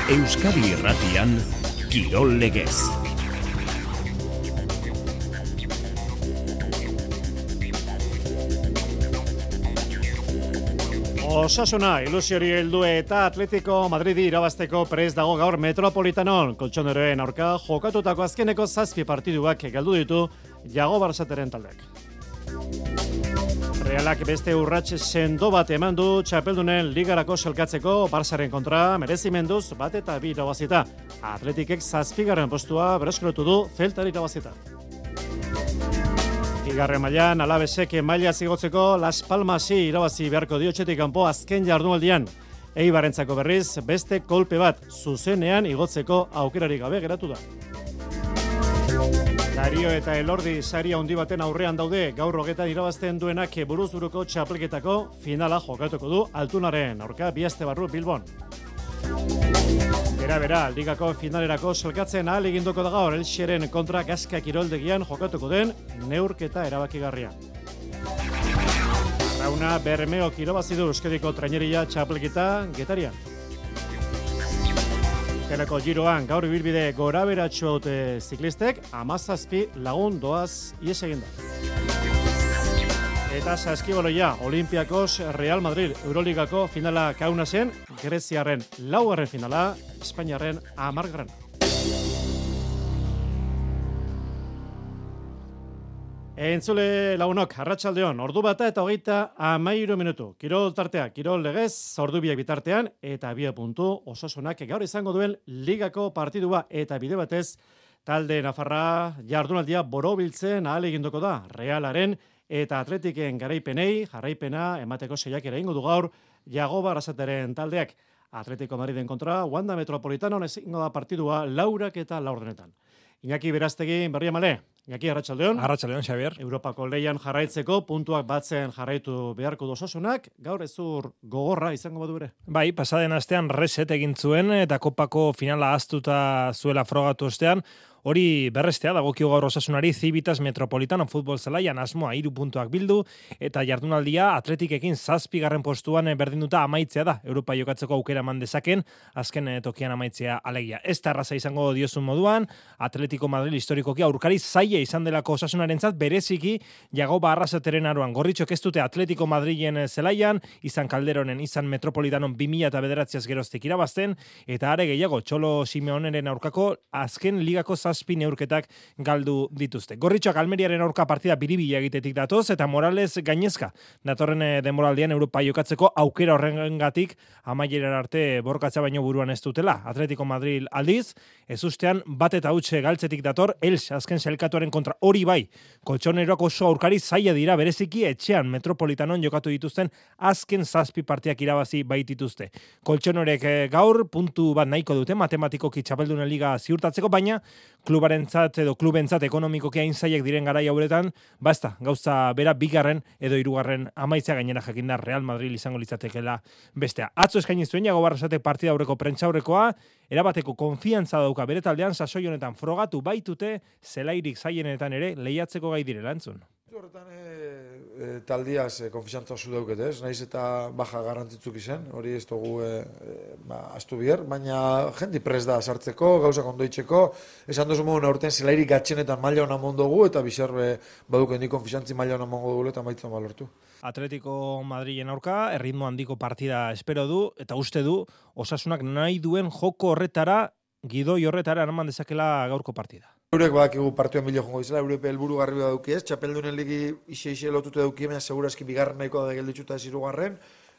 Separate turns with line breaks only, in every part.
Euskadi Irratian, Kirol Legez.
Osasuna, ilusiori heldu eta Atletico Madridi irabazteko prest dago gaur Metropolitanon. Koltxoneroen aurka jokatutako azkeneko 7 partiduak galdu ditu Jago Barsateren taldeak. Realak beste urrats sendo bat eman du txapeldunen ligarako selkatzeko Barsaren kontra merezimenduz bat eta 2 irabazita. Atletikek 7. postua berreskuratu du Celtari irabazita. Bigarren mailan Alavesek maila zigotzeko Las Palmasi irabazi beharko dio etxetik kanpo azken jardunaldian. Eibarrentzako berriz beste kolpe bat zuzenean igotzeko aukerarik gabe geratu da. Dario eta Elordi sari handi baten aurrean daude, gaur hogetan irabazten duenak buruzburuko txapelketako finala jokatuko du Altunaren aurka bi aste barru Bilbon. Bera, ligako finalerako selkatzen ahal eginduko da gaur Elxeren kontra Gaska kiroldegian jokatuko den neurketa erabakigarria. Rauna Bermeok irabazi du Euskadiko traineria txapelketa Getarian. Teleko giroan gaur ibilbide goraberatsu haute ziklistek 17 lagun doaz ihes egin da. Eta saskibaloia, Olimpiakos Real Madrid Euroligako finala Kaunasen, Greziarren 4. finala, Espainiarren 10. Entzule lagunok, arratsaldeon, ordu bata eta 33 minutu. Kirol tartea, Kirol Legez, ordu biak bitartean, eta 2 puntu Osasunak gaur izango duen ligako partidua eta bide batez, talde Nafarra jardunaldia borobiltzen ahal eginduko da, Realaren eta Atletiken garaipenei jarraipena emateko saiakera egingo du gaur Jago Barsateren taldeak. Atletico Madriden kontra Wanda Metropolitanon ezingo da partidua 4 eta 4. Iñaki Beraztegi berria male. Iñaki, arratsaldeon.
Arratsaldeon, Xabier.
Europako leian jarraitzeko puntuak batzen jarraitu beharko du Osasunak, gaur ezur gogorra izango badu ere.
Bai, pasaden astean reset egin zuen eta kopako finala ahaztuta zuela frogatu ostean, hori berrestea dagokio gaur Osasunari Civitas Metropolitano futbol zelaian asmoa 3 puntuak bildu eta jardunaldia Atletikekin 7. postuan berdinduta amaitzea da. Europa jokatzeko aukera eman dezaken azken tokian amaitzea alegia. Ez da erraza izango diozun moduan, Atletico Madrid historikoki aurkari zaila izan delako Osasunarentzat bereziki Jago Barsateren aroan. Gorritxok ez dute Atletico Madrilen zelaian, izan Calderonen, izan Metropolitanon 2009 geroztik irabazten eta are gehiago Txolo Simeoneren aurkako azken ligako 7 neurketak galdu dituzte. Gorritxoak Almeriaren aurka partida biribila egitetik datoz eta Morales gainezka. Datorren denboraldian Europa jokatzeko aukera horrengatik amaierara arte borkatza baino buruan ez dutela. Atletico Madrid aldiz, ez ustean bat eta hutxe galtzetik dator Elx azken selkatuaren kontra hori bai. Koltxoneroak oso aurkari zaila dira bereziki etxean Metropolitanon jokatu dituzten azken 7 partiak irabazi baitituzte. Koltxonorek gaur puntu bat nahiko dute matematikoki txapeldunen liga ziurtatzeko, baina klubarentzat edo klubentzat ekonomikoki hain zailak diren garai hauetan, basta, gauza bera 2. edo 3. amaitzea gainera jakinda Real Madrid izango litzatekeela bestea. Atzo eskaini zuen Jago Barsatek partida aurreko prentsaurrekoa, erabateko konfiantza dauka bere taldean sasoi honetan frogatu baitute zelairik zailenetan ere lehiatzeko gai direla entzun.
Horretan taldiaz konfiantza zu dauket, ez? Naiz eta baja garrantzitsuk izan, hori ez dugu astu bier, baina jendi prest da sartzeko, gauzak ondoitzeko, esan duzu modu aurten zelairik gatxenetan maila hona mondogu, eta bizar baduk hendi konfiantzi maila hona mondogu eta maitzen balortu.
Atletico Madrilen aurka, erritmo handiko partida espero du, eta uste du, Osasunak nahi duen joko horretara, gidoi horretara eraman dezakela gaurko partida.
Eurek badakigu partioan bilo jongo izela, eurek helburu garbi dauki ez, txapeldunen ligi ixe lotute dauki, baina segurazki 2. nahiko da gelditzuta ez 3.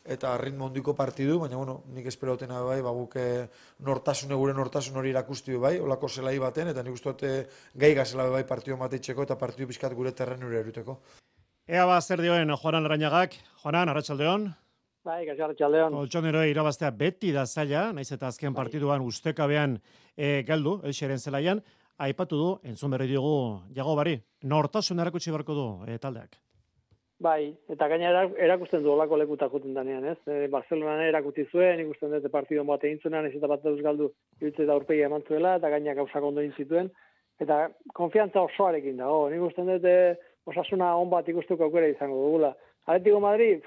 eta ritmo handiko partidu, baina bueno, nik espero dutena bai, guk gure nortasun hori erakusti bai, olako zelai baten, eta nik uste dute gai gazela bai partio mateitzeko eta partio pizkat gure terrenure eruteko.
Ea ba, zer dioen Juanan Larrañagak. Juanan, arratsaldeon.
Bai, arratsaldeon.
Koltxoneroa irabaztea beti da zaila, naiz eta azken partiduan ustekabean galdu, Elxeren zelaian, aipatu du, entzun berri diogu Jago Bari, nortasun erakutsi beharko du taldeak.
Bai, eta gainera erakusten du olako lekutak juten danean, ez? Barcelonan erakutsi zuen, ikusten dute partidu bat egin zuenan, ez eta bat dauz galdu, iruditzen da aurpegia eman zuela, eta gaina gauzak ondo egin zituen, eta konfiantza osoarekin dago. Nik usten dute Osasuna on bat ikustuko aukera izango dugula. Atletico Madrid,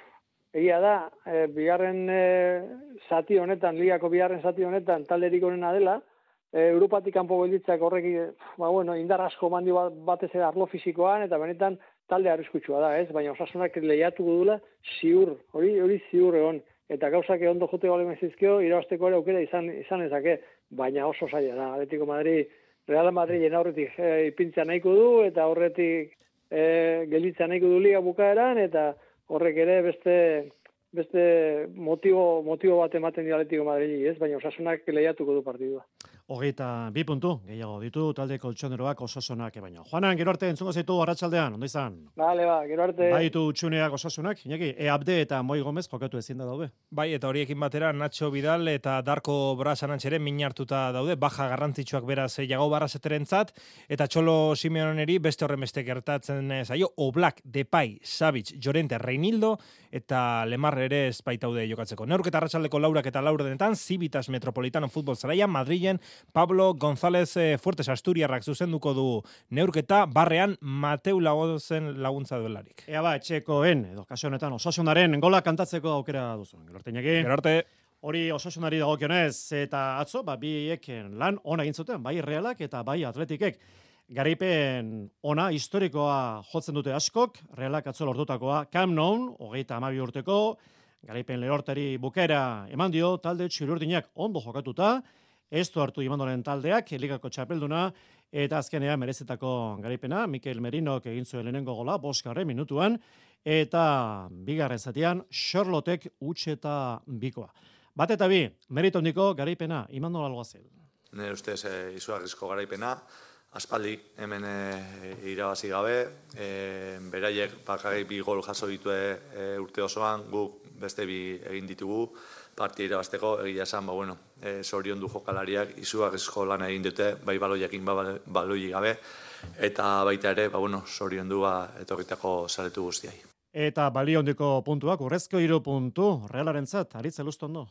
egia da, bigarren zati honetan, ligako bigarren zati honetan, talderik onena dela, Europatik kanpo gelditzak horrek, indar asko mandi batez ere arlo fisikoan, eta benetan talde arriskutsua da, ez? Baina Osasunak lehiatuko dula, ziur, hori ziur egon. Eta gauzak ondo jote bale mezizkio, irabazteko ere aukera izan ezake, baina oso zaila da. Atletico Madrid, Real Madrid aurretik ipintzea nahiko du, eta horretik gelditzea nahiko du liga bukaeran, eta horrek ere beste motibo bat ematen dio Atletico Madrid, ez? Baina Osasunak lehiatuko du partidua.
22 puntu, gehiago ditu talde koltsoneroak Osasunak baino. Juanan, gero arte entzungo zaitu arratsaldean, ondo izan?
Bale, gero arte.
Baitu utxuneak Osasunak, Iñaki, Abde eta Moi Gomez jokatu ezin da daude.
Bai, eta horiekin batera Nacho Vidal eta Darko Brasanantxere min hartuta daude, baja garrantzitsuak beraz Jago Barraseterentzat, eta Txolo Simeoneri beste horren beste gertatzen zaio, Oblak, Depay, Savic, Llorente, Reinildo, eta Lemar ere ez baitaude jokatzeko. Neurketa arratsaldeko 4 eta 4 denetan, Civitas Metropolitano Futbol Zelaia, Madrilen Pablo González Fuertes Asturiarrak zuzenduko du neurketa, barrean Mateu Lagozen laguntza duelarik.
Ea etxekoen, edo kaso honetan Osasunaren gola kantatzeko aukera duzu. Gero arte. Hori Osasunari dagokionez, eta atzo, biek lan ona egin zuten, bai Realak eta bai Atletikek. Garaipen ona historikoa jotzen dute askok, Realak atzo lortutakoa Camp Nou, 32 urteko, garaipen lehortari bukaera eman dio, talde txuri-urdinak ondo jokatuta, ez du hartu Imandoren taldeak, ligako txapelduna, eta azkenean merezetako garaipena, Mikel Merinok egin zuen lehenengo gola, 5. minutuan, eta bigarren zatian, Charlotek utxeta bikoa. Bat eta bi, merito handiko garaipena, Imandol Alguazel.
Nire ustez izugarrizko garaipena, aspaldi hemen irabazi gabe, beraiek bakarrik 2 gol jaso ditue urte osoan, guk beste 2 egin ditugu, partia irabazteko, egia esan, zorion du jokalariak, izugarrizko lana egin dute, bai baloiakin, baloi gabe, eta baita ere, zorion du etorritako saretu guztiai.
Eta balio handiko puntuak, urrezko 3 puntu, Realarentzat, Aritz Elustondo.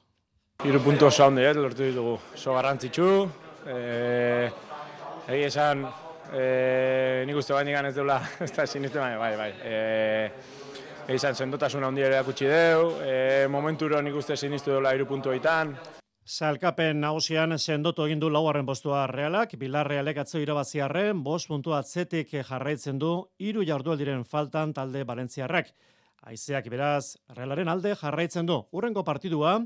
3 puntu oso handi, lortu ditugu, oso garrantzitsu, egia esan, nik uste bain ez dela, ez da sinistu, bai. Izan sendotasun handia ere akutsi deu, momenturo nik uste sinistu dela 3 puntuetan.
Salkapen nagusian sendotu egin du 4. postua Realak, Bilarrealek atzo irabaziarren 5 puntu atzetik jarraitzen du 3 jardualdiren faltan talde Valentziarrak. Haizeak beraz Realaren alde jarraitzen du. Hurrengo partidua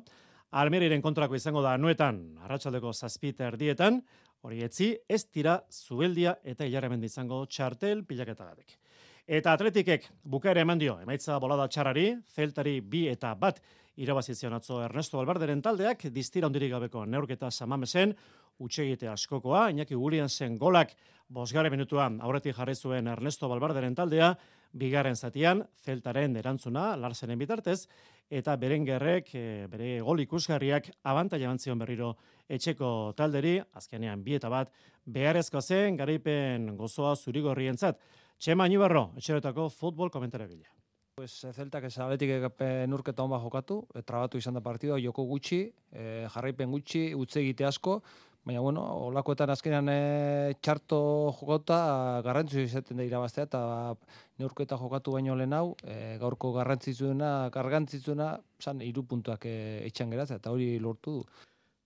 Almeriren kontrako izango da Anoetan, arratsaldeko 7:00 hori etzi, ez tira Zubeldia eta Ilarramendi izango txartel pilaketagatik. Eta Atletikek bukaera eman dio, emaitza bolada txarrari, Zeltari 2 eta 1 irabazizion atzo Ernesto Valverderen taldeak, distira hondirik gabeko neurketa Samamesen, utxegite askokoa, Iñaki Williamsen golak 5. minutuan aurretik jarri zuen Ernesto Valverderen taldea, 2. zatian, Zeltaren erantzuna, Larsenen bitartez, eta Berengerrek, bere gol ikusgarriak abantaila eman zion berriro etxeko talderi, azkenean 2 eta 1, beharrezko zen, garaipen gozoa zurigorrientzat. Txema Inibarro, etxeretako futbol komentaragilea.
Zeltak ez Atletik nurketa honba jokatu, trabatu izan da partidua, joko gutxi, jarraipen gutxi, utze egite asko, baina olakoetan azkenean txarto jokauta garrantzitsu izaten da irabaztea, eta neurketa jokatu baino lehen hau, gaurko garrantzitsuena, zan 3 puntuak etxan geratzea, eta hori lortu du.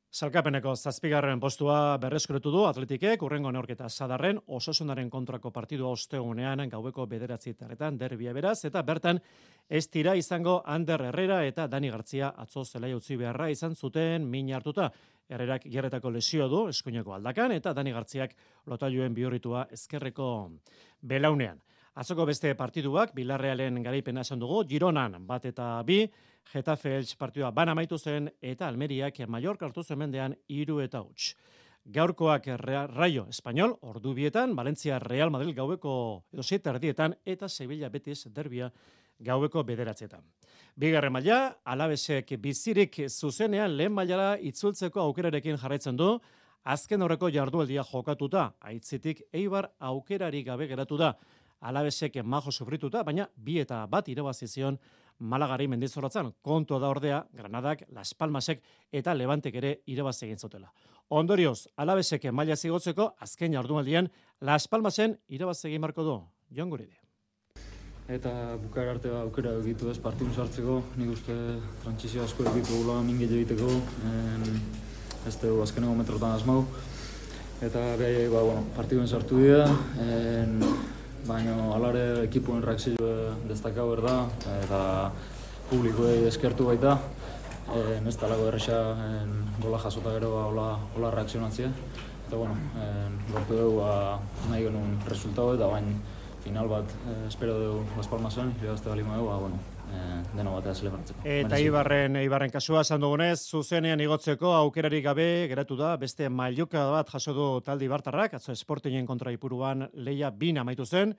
Salkapeneko 7. postua berreskuretu du Atletikek, urrengo neurketa Sadarren, Osasunaren kontrako partidua ostegunean gaueko 9:00 derbia beraz, eta bertan ez tira izango Ander Herrera eta Dani Gartzia atzo zelai utzi beharra izan zuten min hartuta. Herrerak gerretako lesio du, eskuineko aldakan, eta Dani Gartziak lotailuen bihurritua ezkerreko belaunean. Atzoko beste partiduak, Bilarrealen garaipena esan dugu, Gironan 1 eta 2, Getafe Elche partidua bana amaitu zen, eta Almeriak Mallorca hartu zuen mendean 3 eta 1. Gaurkoak Rayo Español, ordu 2, Valencia Real Madrid gaueko 7:30, eta Sevilla Betis derbia gaueko 9:00. Bigarren maila, Alavesek bizirik zuzenean lehen mailara itzultzeko aukerarekin jarraitzen du, azken horreko jardualdia jokatuta, aitzitik Eibar aukerari gabe geratu da. Alavesek majo sufrituta, baina 2 eta 1 irabazi zion Malagari Mendizorrotzan. Kontua da ordea, Granadak, Las Palmasek eta Levantek ere irabazi egin zutela. Ondorioz, Alavesek maila zigotzeko azken jardunaldian Las Palmasen irabazi egin marko du. Jon Guride.
eta bukaera arte aukera egitu ez partidun sartzeko, nik uste trantsizio asko egitu gula mingile egiteko, ez dugu azkeneko metrotan asmau, eta behai, partiduen sartu dira, baina alare ekipuen reakzio destakau da, eta publikoei eskertu baita, ez talako erresa gola jasota gero hola reakzionatzea, eta lortu dugu nahi genuen resultatu eta baina final bat espero dugu Las Palmasen, irabazte bali dugu, deno batea zelebratzeko.
Eta Eibarren kasua esan dugunez, zuzenean igotzeko aukerarik gabe geratu da, beste mailuka bat jaso du talde Ibartarrak, atzo Sportingen kontra Ipuruan leia 2 amaitu zen,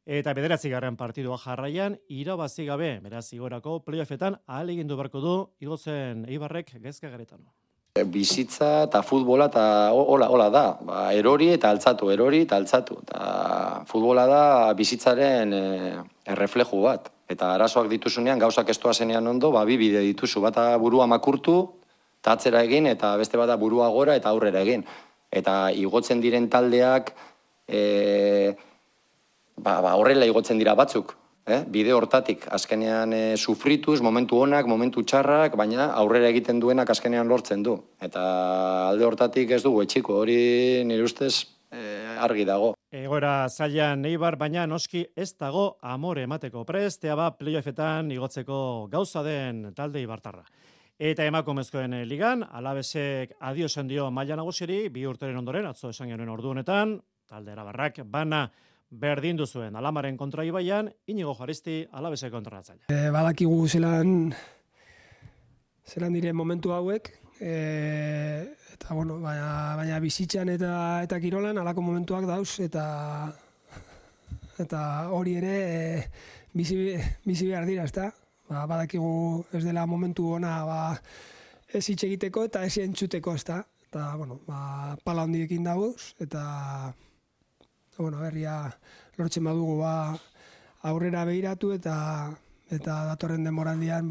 eta 9. partidua jarraian, irabazi gabe, beraz igorako playoffetan ahalegindu beharko du igotzen Eibarrek gezka garetan.
Bizitza eta futbola eta hola da, erori eta altzatu. Eta futbola da bizitzaren errefleju bat. Eta arazoak dituzunean, gauzak ez doazenean ondo, bi bide dituzu. Bata burua makurtu, eta atzera egin, eta beste bata burua gora eta aurrera egin. Eta igotzen diren taldeak, horrela igotzen dira batzuk. Bide hortatik, azkenean sufrituz, momentu onak, momentu txarrak, baina aurrera egiten duenak azkenean lortzen du. Eta alde hortatik ez dugu etxiko, hori nire ustez argi dago.
Egoera zailan Eibar, baina noski ez dago amore emateko prest, playoffetan igotzeko gauza den talde Ibartarra. Eta emakumezkoen ligan, Alabesek adio esan dio maila nagusiri, 2 urteren ondoren, atzo esan genuen ordu honetan, talde Arabarrak bana berdindu zuen Alamaren kontra Ibaian, Inigo Jaristi Alabesek kontratzaile.
Badakigu zelan diren momentu hauek, eta baina bizitzan eta kirolan alako momentuak dauz, eta hori ere bizi behar dira, ezta? Badakigu ez dela momentu ona ez hitz egiteko eta ez entzuteko, ezta? Eta, pala handiekin dauz, eta berria lortzen badugu aurrera behiratu eta datorren denboraldian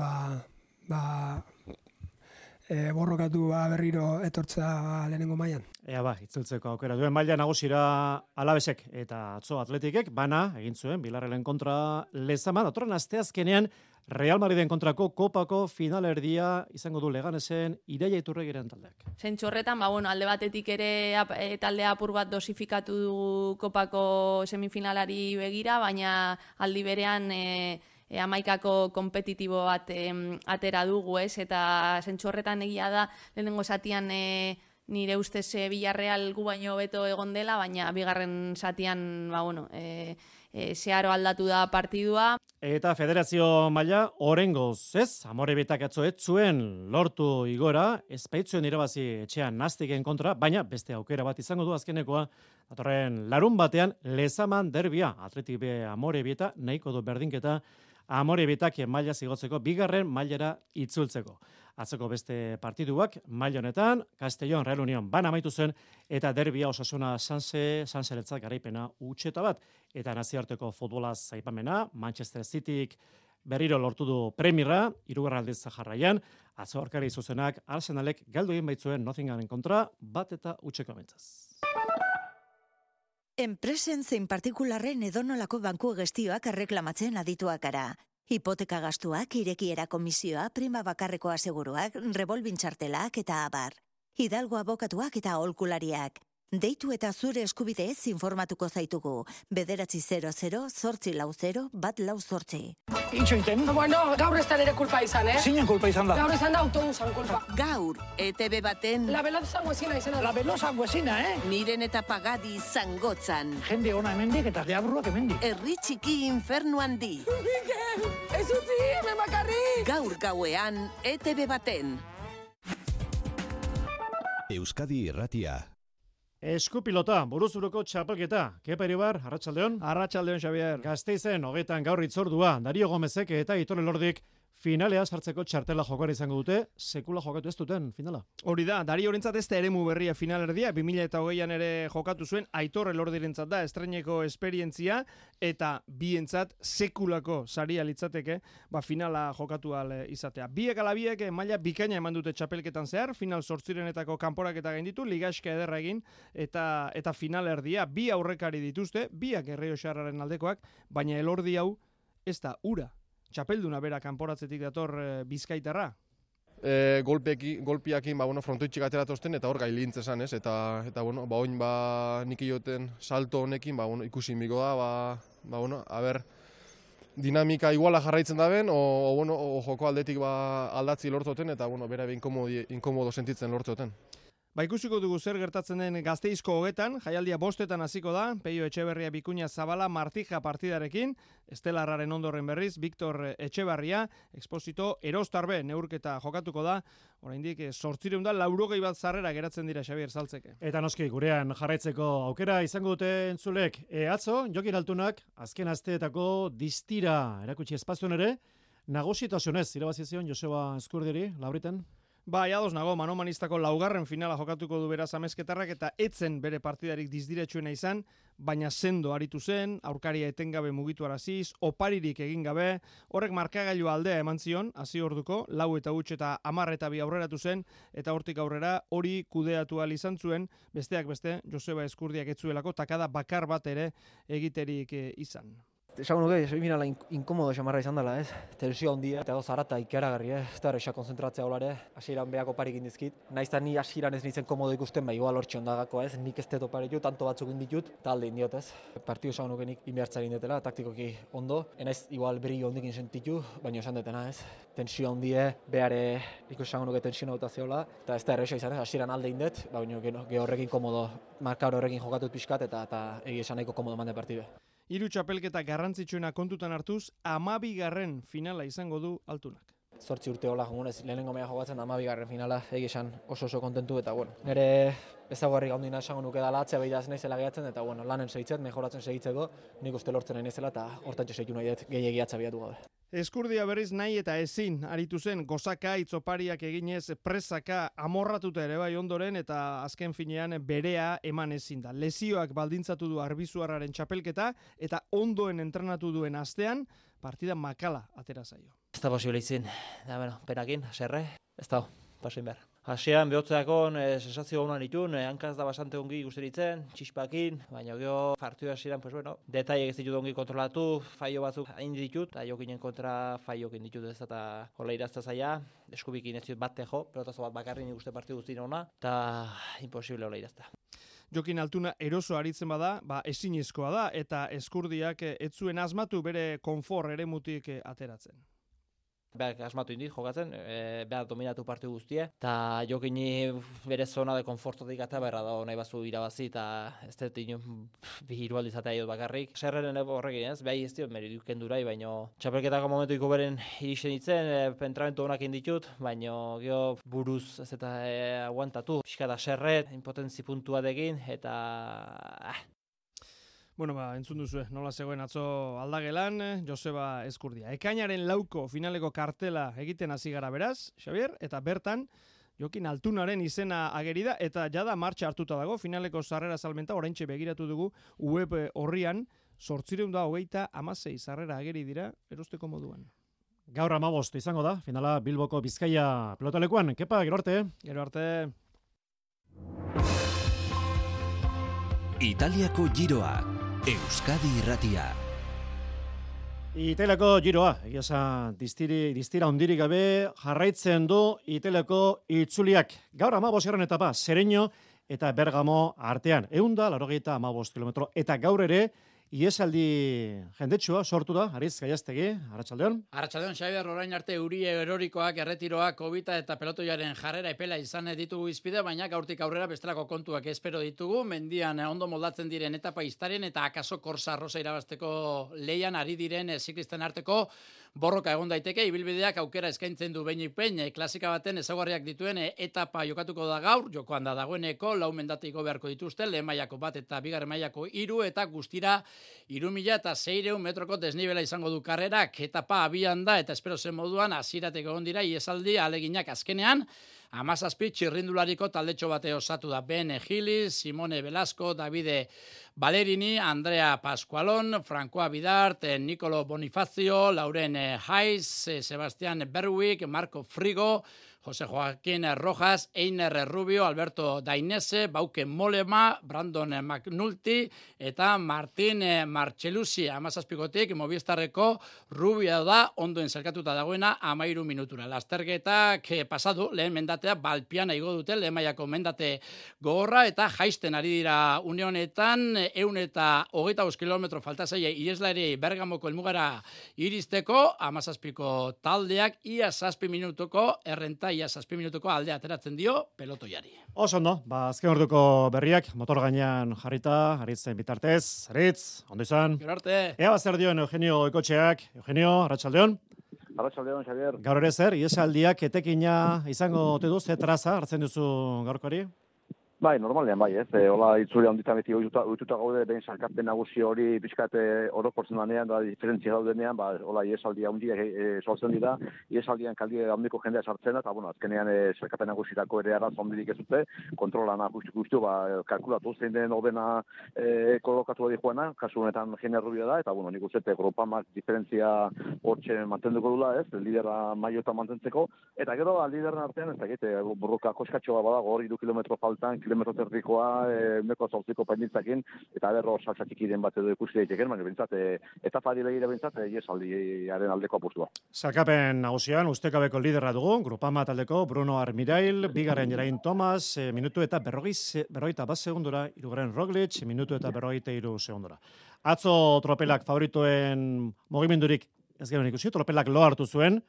borrokatu berriro etortza lehenengo mailan.
Itzultzeko aukera duen maila nagusira Alabesek eta atzo Atletikek bana egin zuen Bilarrelen kontra Lezaman. Datorren asteazkenean Real Madriden kontrako kopako finalerdia izango du Leganesen Ireia Iturregiren taldeak.
Zentzu horretan, alde batetik ere taldea apur bat dosifikatu du kopako semifinalari begira, baina aldi berean amaikako kompetitibo bat atera dugu, ez? Eta zentzu horretan egia da, lehenengo zatian nire ustez Villarreal gu baino beto egon dela, baina bigarren zatian, zeharo aldatu da partidua.
Eta federazio maila orengoz, ez? Amorebitak atzo ez zuen lortu igora, ez baitzuen irabazi etxean Nastiken kontra, baina beste aukera bat izango du azkenekoa, datorren larun batean Lezaman derbia, Atletik B Amorebieta, nahiko du berdinketa Amorebitak maila zigotzeko, bigarren mailara itzultzeko. Atzeko beste partiduak, maila honetan, Castellón Real Unión bana amaitu zen, eta derbia Osasuna Sanseretzat garaipena utxeta bat. Eta nazioarteko futbolaz aipamena, Manchester Cityk berriro lortu du Premierra, 3. aldiz jarraian, atzo aurkari zuzenak Arsenalek galdu egin baitzuen Nottinghamen kontra, 1-0 mentzaz.
Enpresen zein partikularren edonolako banku gestioak erreklamatzen adituak gara. Hipoteka gastuak, irekiera komisioa, prima bakarreko aseguruak, revolving txartelak eta abar. Hidalgo abokatuak eta aholkulariak. Deitu eta zure eskubideez informatuko zaitugu. 900-840-148.
Itxoiten? Gaur ez da nire kulpa izan, Zinen kulpa izan da. Gaur izan da autobusan kulpa.
Gaur, ETB baten...
La veloz zangoezina izan da. La veloz zangoezina,
Miren eta pagadi zangotzan.
Jende ona hemendik eta deabruak hemendik.
Herri txiki infernu handi.
Mikel, ez utzi, memakarri!
Gaur gauean, ETB baten.
Euskadi Irratia.
Eskupilota, buruzuruko txapelketa. Kepa Iribar, arratsaldeon.
Arratsaldeon, Xavier.
Gasteizen, 20 gaur itzordua. Dario Gomezek eta Aitor Elordik finalea sartzeko txartela jokoan izango dute, sekula jokatu ez duten finala.
Hori da, Dario Horentzat ez da eremu berria finalerdia, 2008an ere jokatu zuen, Aitor Elordirentzat da estreineko esperientzia, eta bientzat sekulako saria litzateke, finala jokatu izatea. Biek ala biek maila bikaina eman dute txapelketan zehar, final 8 kanporaketa gainditu, ligaxka ederra egin, eta finalerdia, bi aurrekari dituzte, biak Errioxarraren aldekoak, baina Elordi hau
ez da ura. Txapelduna bera kanporatzetik dator Bizkaitarra.
Golpiakin frontoitxik ateratozten eta hor gailintz esan, ez? Eta oin nik ioten salto honekin ikusi miko da, dinamika iguala jarraitzen da ben, o joko aldetik aldatzi lortzoten eta bera inkomodo sentitzen lortzoten.
Ikusiko dugu zer gertatzen den Gasteizko hogetan, jaialdia 5:00 hasiko da, Peio Etxeberria Bikuña Zabala Martija partidarekin, Estelarraren ondoren berriz, Victor Etxeberria, Exposito Erostarbe neurketa jokatuko da, oraindik 880 bat sarrera geratzen dira Xabier Saltzeke.
Eta noski gurean jarraitzeko aukera izango dute entzulek. Atzo, Jokin Altunak azken asteetako distira erakutsi espazioan ere, nagusitasunez irabazi zion Joseba Eskurdiri, Labriten.
Ados nago, Manomanistako 4. finala jokatuko du beraz Amezketarrak eta etzen bere partidarik dizdiretsuena izan, baina sendo aritu zen, aurkaria etengabe mugitu araziz, oparirik egin gabe, horrek markagailua aldea eman zion, hasi orduko, 4 eta 8 eta 10 eta 2 aurreratu zen, eta hortik aurrera hori kudeatu ahal izan zuen, besteak beste, Joseba Eskurdiak etzuelako, takada bakar bat ere egiterik izan.
Esango nuke, semifinala inkomodo xamarra izan dela, ez? Tensio handia eta zarata ikaragarri, ez da erresa konzentratzea olare, hasieran behako parik indizkit. Naizta ni hasieran ez nintzen komodo ikusten, igual hortxe ondagako, ez? Nik ez teto parik tanto batzuk inditut, talde indiot, ez? Partio esango nuke nik inbehartzari indetela, taktikoki ondo. Enaiz igual beri hondikin sentitu, baina esan detena, ez? Tensio handie, behare ikusango nuke tensio nautazeola, eta ez da erresa izan, ez? Hasieran alde indet, baina horrekin komodo, markabro horrekin jokatut pixkat, eta egi esan nahiko komodo mande partide.
3 txapelketa garrantzitsuena kontutan hartuz, 12. finala izango du Altunak.
8 urte hola jongunez, lehenengo mea jokatzen 12. finala, esan oso kontentu, eta nire ezaguarri gaundina esango nuke dala atzea behidaz naizela gehiatzen, eta lanen segitzet, mejoratzen segitzeko, nik uste lortzen nahi nezela, eta hortantxe segitu nahi dut gehiagi atzabiatu gabe.
Eskurdia berriz nahi eta ezin aritu zen gozaka itzopariak eginez presaka amorratuta ere bai ondoren eta azken finean berea eman ezin da. Lesioak baldintzatu du Arbizuarraren txapelketa eta ondoen entrenatu duen astean partida makala atera zaio.
Ez da posible izin, perakin, serre, ez da, pasoin behar. Hasieran behotzeakon sensazio honan ditun, hankaz da basante ongi guzteritzen, txispakin, baina geho partidu hasieran, detaiek ez ditut ongi kontrolatu, faio batzuk hain ditut, eta jokinen kontra faiokin ditut ez eta hola irazta zaila, eskubikin ez ditut bat tejo, pelotazo bat bakarri nik uste partidu guztien hona, eta imposible hola irazta.
Jokin Altuna eroso aritzen bada, ezinezkoa da, eta Eskurdiak ez zuen asmatu bere konfor eremutik ateratzen.
Berak asmatu indit jokatzen, behar dominatu partidu guztie, eta Jokini bere zona de konfortotik eta berra da nahi bazu irabazi, eta ez dut bi hirualdi izatea iot bakarrik. Serreren horrekin ez, behai ez diot meriduken durai, baina txapelketako momentuiko beren iristen ditzen, pentramentu honak inditut, baina geho buruz ez eta aguantatu. Piska da serret, impotentzi puntu batekin, eta...
entzun duzu, nola zegoen atzo aldagelan, Joseba Eskurdia. Ekainaren 4 finaleko kartela egiten hasi gara beraz, Xabier, eta bertan, Jokin Altunaren izena ageri da, eta jada martxa hartuta dago, finaleko sarrera salmenta, oraintxe begiratu dugu, web horrian, 826 sarrera ageri dira, erosteko moduan.
Gaur 15 izango da, finala Bilboko Bizkaia pelotalekuan. Kepa, gero arte.
Gero arte.
Italiako giroa. Euskadi Irratia.
Italiako giroa, distira ondirik gabe jarraitzen du Italiako itzuliak. Gaur 15. etapa, Sereño eta Bergamo artean. 185 kilometro. Eta gaur ere, iesaldi jendetsua sortu da, Ariz Gaiaztegi, Arratsaldeon.
Arratsaldeon, Xabier, orain arte euri erorikoak, erretiroak, kobita eta pelotoiaren jarrera epela izan ditugu izpide, baina gaurtik aurrera bestelako kontuak espero ditugu, mendian ondo moldatzen diren etapa iztaren eta akaso korsa arroza irabazteko leian ari diren ziklisten arteko borroka egon daiteke, ibilbideak aukera eskaintzen du behinik behin, klasika baten ezaugarriak dituen etapa jokatuko da gaur, jokoan da dagoeneko, 4 mendatiko beharko dituzte, lehen mailako 1 eta 2 mailako 3 eta guztira 3.600 metroko desnibela izango du karrerak, etapa abian da eta espero zen moduan hasieratik egon dira iesaldi aleginak azkenean, 17 txirrindulariko taldetxo bate osatu da Ben Gilis, Simone Velasco, Davide Valerini, Andrea Pascualon, Francois Bidart, Nicolo Bonifazio, Lauren Haiz, Sebastian Berwick, Marco Frigo, Jose Joaquín Rojas, Einer Rubio, Alberto Dainese, Bauke Molema, Brandon McNulty eta Martin Marchelusi 17tik Movistarreko Rubio da ondoen zelkatuta dagoena 13 minutura. Lasterketak pasadu lehen mendatea Balpiana igo dute, lehen mailako mendate gogorra eta jaisten ari dira une honetan 125 kilometro falta zaie ieslari Bergamoko helmugara iristeko 17ko taldeak ia 7 minutuko errenta ia 7 minutuko alde ateratzen dio pelotoiari.
Oso ondo, azken orduko berriak motor gainean jarrita, Aritzen bitartez. Aritz, ondo izan.
Gero arte.
Ea zer dioen Eugenio Goikotxeak. Eugenio, arratsaldeon.
Arratsaldeon, Xavier.
Gaur ere zer, iesaldiak etekina izango ote du, ze traza hartzen duzu gaurkoari?
Bai, normalean bai, ez. Hola itzulea onditan beti ohituta gaude, behin sarkapen nagusi hori pixkat orokortzen danean, da diferentzia daudenean, hola iesaldia handiak sortzen dira, iesaldian kaldi handiko jendea sartzen da, eta bueno, azkenean sarkapen nagusirako ere arraz handirik ez dute, kontrolana guzti kalkulatu zein den ordena kolokatu da joana, kasu honetan Jene Rubio da, eta bueno, nik uste Gropamak diferentzia hortxe mantenduko dula, ez, lidera maiota mantentzeko, eta gero lideren artean, ez dakit, burruka koskatxoa badago hori 2 kilometro faltan, kilometro zerdikoa, meko zauziko painitzakin, eta berro saltzatik bat edo ikusi daiteken, baina bintzat, etapari begira bintzat, iesaldiaren aldeko apustua.
Salkapen nagusian, ustekabeko liderra dugu, Grupama taldeko Bruno Armirail, bigarren Jerain Tomas, minutu eta berrogeita bat segundura, hirugarren Roglic, minutu eta 43 segundura. Atzo tropelak favoritoen mugimendurik ez genuen ikusi, tropelak lo hartu zuen.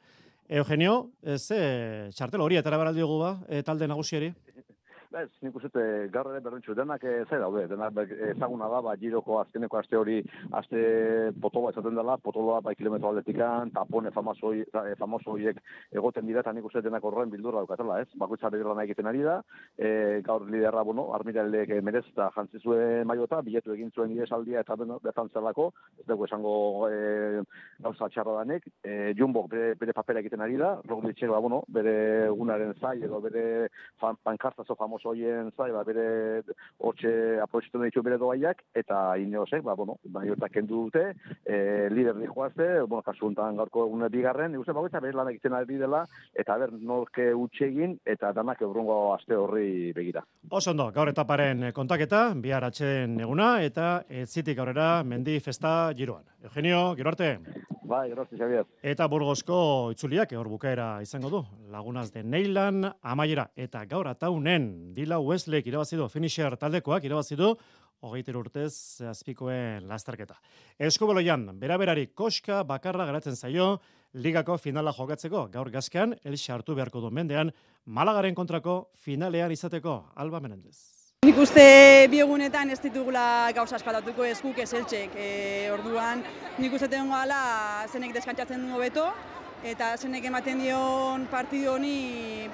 Eugenio, txartel hori etara baraldiogu talde nagusiari?
Ez, nik uste gaur ere berdintxu, denak zai daude, denak ezaguna da, giroko azkeneko aste hori, aste potoloa ezaten dela, potoloa kilometro aldetikan, tapone famoso horiek egoten dira, eta nik uste denak horren bildurra dukatela, ez? Bakoitzare lan egiten ari da, gaur liderra, Armirailek merezta jantzi zuen maiota, biletu egin zuen iesaldia eta bertan zelako, ez dugu esango gauza txarra danek, Jumbo bere papera egiten ari da, Roglic bere egunaren zai, edo bere pankartazo famoso hoien zai, bere hortxe aproizitu ditu bere doaiak, eta Ineosek, maiota kendu dute, lider dijoazte, kasu honetan gaurko egune bigarren, ikusten bagoitza bere lan egiten ari dela, eta norke utxegin, eta danak eurungo aste horri begira.
Oso ondo, gaur etaparen kontaketa, bihar atxeden eguna, eta etzitik aurrera mendi festa giroan. Eugenio, gero arte.
Bai, gero arte, Xavier.
Eta Burgosko itzuliak hor bukaera izango du. Lagunas de Neilan, amaiera, eta gaur ataunen Dila Weslek irabazidu, finisher taldekoak irabazidu, 23 urtez azpikoen lasterketa. Eskubaloian, beraberari koska bakarra geratzen zaio, ligako finala jokatzeko, gaur gazkean, Elxe hartu beharko du mendean, Malagaren kontrako finalean izateko, Alba Menendez.
Nik uste biegunetan ez ditugula gauza askatatuko eskuk ez Eltxek. Orduan, nik uste tengo gala zenek deskantzatzen du hobeto, eta zenek ematen dion partidu honi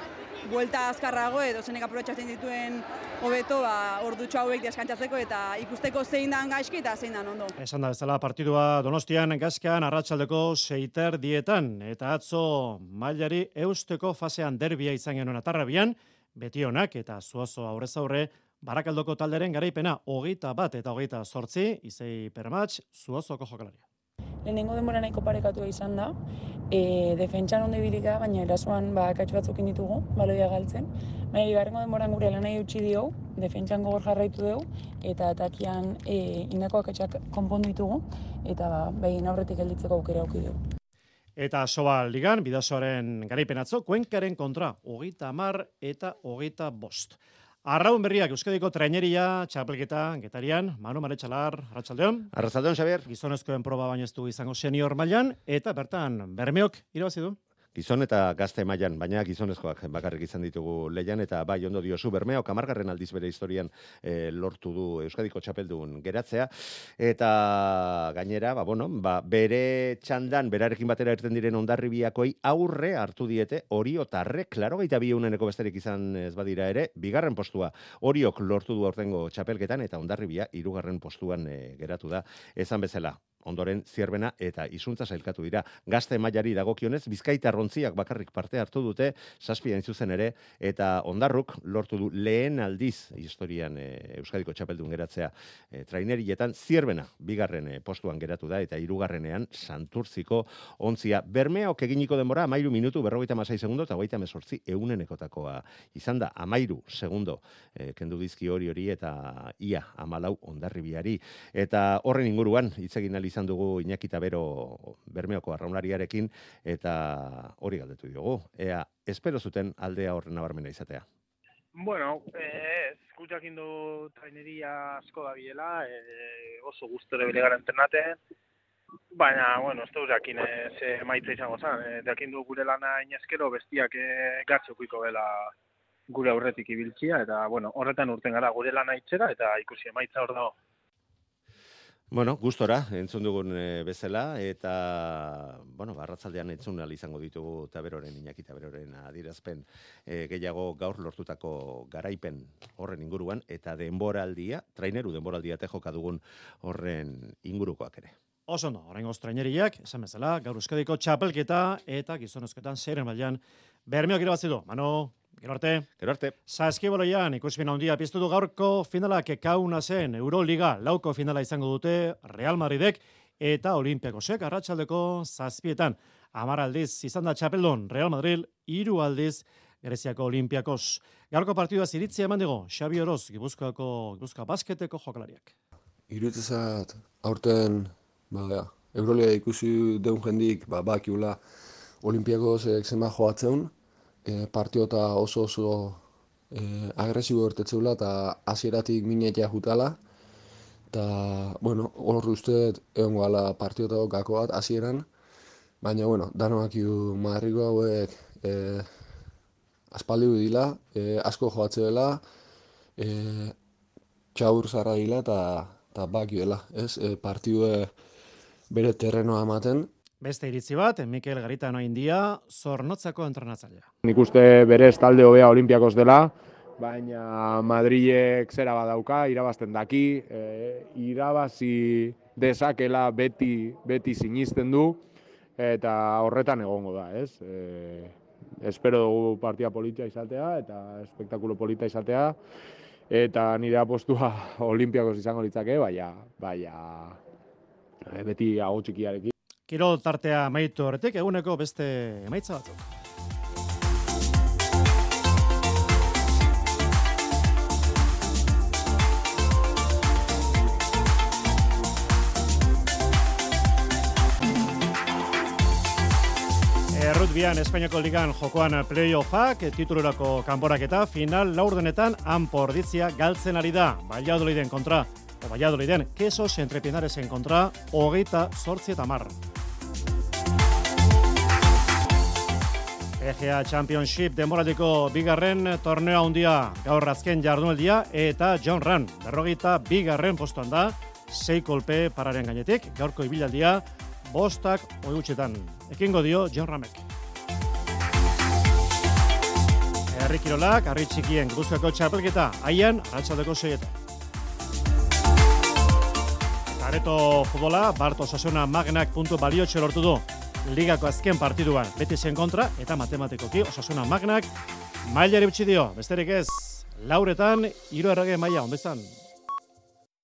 buelta azkarrago edo zenek aprobetxatzen dituen hobeto ordutxo hauek deskantzatzeko eta ikusteko zein dan gaizki eta zein dan ondo.
Esan da bezala partidua Donostian gazkean arratsaldeko 6:10 eta atzo mailari eusteko fasean derbia izan genuen Atarrabian, Betionak eta Zuazo aurrez aurre Barakaldoko talderen garaipena 21 eta 28, Izei Permatx, Zuazoko jokalaria.
Lehenengo denbora nahiko parekatua izan da, defentsan ondo ibilika, baina erasoan akats batzukin ditugu, baloia galtzen. Baina bigarrengo denboran gure lanai utzi dio, defentsan gogor jarraitu dugu, eta atakian indako akatsak konpondu ditugu, eta behin aurretik gelditzeko aukera auki dugu.
Eta Sobal Ligan, Bidasoaren garaipen atzo, Kuenkaren kontra, 30 eta 25. Arraun berriak Euskadiko traineria, txapelketa, Getarian, Manu Maretxalar, arratsaldeon.
Arratsaldeon, Xavier.
Gizonezkoen proba baino ez du izango senior mailan, eta bertan Bermeok irabazi du.
Gizon eta gazte mailan, baina gizonezkoak bakarrik izan ditugu leian, eta bai ondo diozu Bermeok 10. aldiz bere historian lortu du Euskadiko txapeldun geratzea, eta gainera, bere txandan, berarekin batera irten diren Hondarribiakoi aurre hartu diete Oriotarrek, 82 besterik izan ez badira ere, 2. postua Oriok lortu du aurtengo txapelketan, eta Hondarribia 3. postuan geratu da. Esan bezala, ondoren Zierbena eta Izuntza sailkatu dira. Gazte mailari dagokionez, Bizkaitarrontziak bakarrik parte hartu dute, 7 hain zuzen ere, eta Ondarruk lortu du lehen aldiz historian Euskadiko txapeldun geratzea trainerietan. Zierbena bigarren postuan geratu da, eta hirugarrenean Santurtziko ontzia. Bermeok eginiko denbora 13 minutu 56 segundo eta 38 eunenekotakoa izan da. 13 segundo kendu dizki hori eta ia 14 Hondarribiari. Eta horren inguruan hitz egin ahal izan dugu Iñaki Tabero Bermeoko arraunlariarekin, eta hori galdetu diogu. Ea, espero zuten aldea horren nabarmena izatea.
Bueno, eskuchakin du traineria asko da biela, oso gustore bere gara entrenaten, baina, bueno, ez dut jakin ze maitza izango zen. Jakin du gure lana inezkero bestiak gatxokuiko dela gure aurretik ibiltzia, eta, bueno, horretan urten gara gure lana itxera, eta ikusi emaitza hor dago.
Bueno, gustora entzun dugun bezala, eta, bueno, arratzaldean entzun ahal izango ditugu Taberoren, Iñaki Taberoren adierazpen gehiago gaur lortutako garaipen horren inguruan, eta denboraldia, traineru denboraldia joka dugun horren ingurukoak ere.
Oso ondo, oraingoz traineriak, esan bezala, gaur Euskadiko txapelketa eta gizonezkoetan zeiren mailan Bermeok irabazi du. Manu, gero arte.
Gero arte.
Saskibaloian ikusmin handia piztu du gaurko finalak Kaunasen Euroliga lauko finala izango dute Real Madridek eta Olimpiakosek arratsaldeko 7etan. 10 aldiz izan da txapeldun Real Madrid, 3 aldiz Greziako Olimpiakos. Gaurko partidua iritzia eman digo Xabi Oroz, Gipuzkoa basketeko jokalariak.
Iruditzat aurten Euroliga ikusi deun jendik bakiula Olimpiakosek zenba joatzen, partiota oso agresibo ertetzeula eta hasieratik minetia jutala. Eta, bueno, hor uste egon gala partiota gako bat hasieran, baina, bueno, danoak Madriko hauek aspaldi dila, asko joatze dela, txaur zarra dila eta baki dela, ez? Partidue bere terrenoa ematen.
Beste iritzi bat, Mikel Garitano India, Zornotzako entrenatzailea.
Nik uste berez talde hobea Olimpiakos dela, baina Madrilek zera badauka, irabazten daki, irabazi dezakela beti sinisten du, eta horretan egongo da, ez? Espero dugu partia polita izatea, eta espektakulo polita izatea, eta nire apostua Olimpiakos izango litzake, baina beti aho txikiarekin.
Kirol tartea amaitu horretik, eguneko beste emaitza batzuk. Rugbian Espainiako ligan jokoan playoffak, titulurako kanporaketa, final laurdenetan Anporditzia galtzen ari da. Valladoliden kontra, Valladoliden, Quesos Entrepinaresen kontra, 28-10. EGA Championship denboraldiko bigarren torneo handia gaur azken jardunaldia eta John Ran, 42. postuan da, 6 kolpe pararen gainetik, gaurko ibilaldia 5-8. Ekingo dio John Ramek. Herri kirolak, harri txikien Gipuzkoako txapelketa, haian arratsaldeko 6etan. Areto futbola, Bart Osasuna Magnak puntu baliotxe lortu du. Ligako azken partiduan Betisen kontra eta matematikoki Osasuna Magnak mailari utzi dio. Besterik ez, lauretan 3 errege maila, ondo izan.